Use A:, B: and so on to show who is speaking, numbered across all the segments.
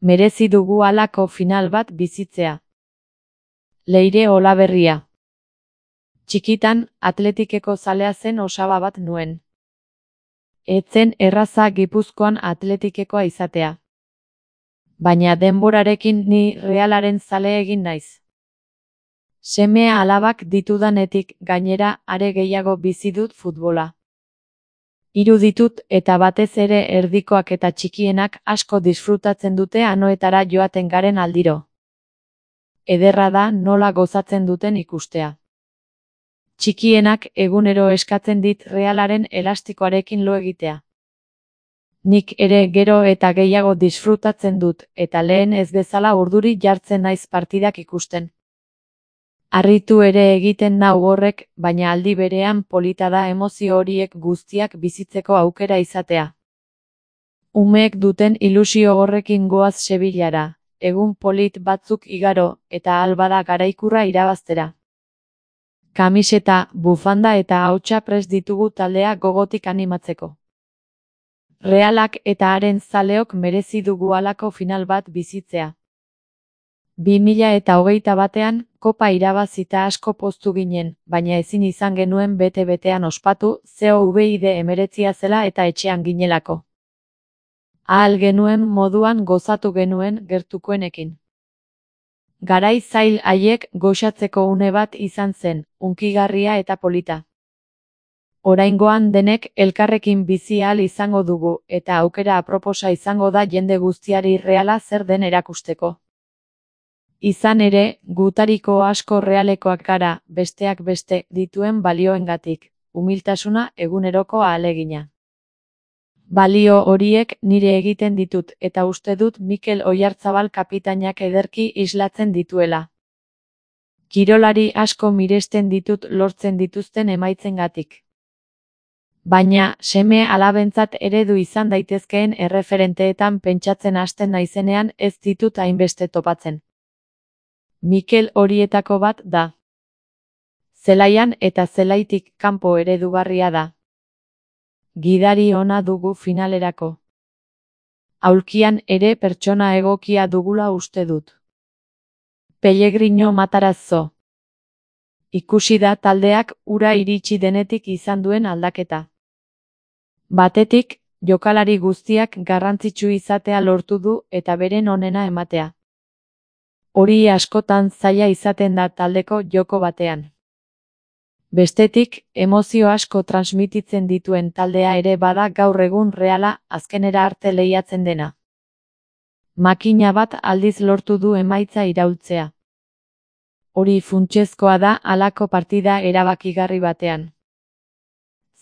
A: Merezi dugu halako final bat bizitzea. Leire Olaberria. Txikitan, Atletikeko zalea zen osaba bat nuen. Etzen erraza Gipuzkoan Atletikekoa izatea. Baina denborarekin ni Realaren zale egin naiz. Semea alabak ditudanetik gainera are gehiago bizi dut futbola. Hiru ditut eta batez ere erdikoak eta txikienak asko disfrutatzen dute anoetara joaten garen aldiro. Ederra da nola gozatzen duten ikustea. Txikienak egunero eskatzen dit Realaren elastikoarekin lo egitea. Nik ere gero eta gehiago disfrutatzen dut eta lehen ez bezala urduri jartzen naiz partidak ikusten. Harritu ere egiten nau horrek, baina aldi berean polita da emozio horiek guztiak bizitzeko aukera izatea. Umeek duten ilusio horrekin goaz Sevillara, egun polit batzuk igaro eta ahal bada garaikurra irabaztera. Kamiseta, bufanda eta ahotsa prest ditugu taldea gogotik animatzeko. Realak eta haren zaleok merezi dugu halako final bat bizitzea. 2021ean, kopa irabazita asko poztu ginen, baina ezin izan genuen bete-betean ospatu, COVID-19 zela eta etxean ginelako. Ahal genuen moduan gozatu genuen gertukoenekin. Garai zail haiek goxatzeko une bat izan zen, hunkigarria eta polita. Oraingoan denek elkarrekin bizi ahal izango dugu, eta aukera aproposa izango da jende guztiari Reala zer den erakusteko. Izan ere, gutariko asko Realekoak gara, besteak beste, dituen balioengatik, umiltasuna eguneroko ahalegina. Balio horiek nire egiten ditut eta uste dut Mikel Oyarzabal kapitainak ederki islatzen dituela. Kirolari asko miresten ditut lortzen dituzten emaitzengatik. Baina, seme alabentzat eredu izan daitezkeen erreferenteetan pentsatzen hasten naizenean ez ditut hainbeste topatzen. Mikel horietako bat da. Zelaian eta zelaitik kanpo eredugarria da. Gidari ona dugu finalerako. Aulkian ere pertsona egokia dugula uste dut. Pellegrino Matarazzo. Ikusi da taldeak ura iritsi denetik izan duen aldaketa. Batetik, jokalari guztiak garrantzitsu izatea lortu du eta beren onena ematea. Hori askotan zaila izaten da taldeko joko batean. Bestetik, emozio asko transmititzen dituen taldea ere bada gaur egun Reala azkenera arte lehiatzen dena. Makina bat aldiz lortu du emaitza iraultzea. Hori funtsezkoa da halako partida erabakigarri batean.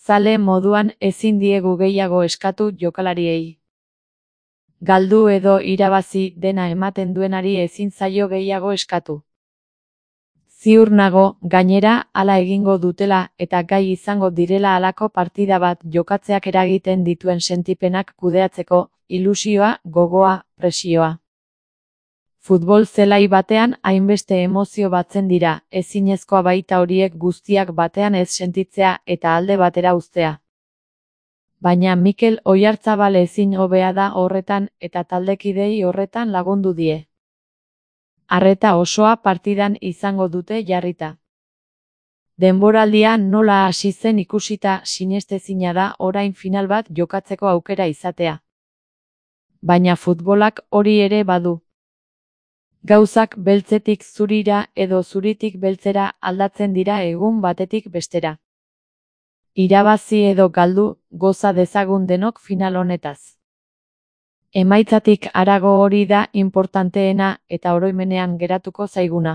A: Zale moduan ezin diegu gehiago eskatu jokalariei. Galdu edo irabazi dena ematen duenari ezin zaio gehiago eskatu. Ziur nago, gainera, hala egingo dutela eta gai izango direla halako partida bat jokatzeak eragiten dituen sentipenak kudeatzeko, ilusioa, gogoa, presioa. Futbol zelai batean hainbeste emozio batzen dira, ezinezkoa baita horiek guztiak batean ez sentitzea eta alde batera uztea. Baina Mikel Oyarzabal ezin hobea da horretan eta taldekidei horretan lagundu die. Arreta osoa partidan izango dute jarrita. Denboraldia nola hasi zen ikusita sinestezina da orain final bat jokatzeko aukera izatea. Baina futbolak hori ere badu. Gauzak beltzetik zurira edo zuritik beltzera aldatzen dira egun batetik bestera. Irabazi edo galdu, goza dezagun denok final honetaz. Emaitzatik harago hori da inportanteena eta oroimenean geratuko zaiguna.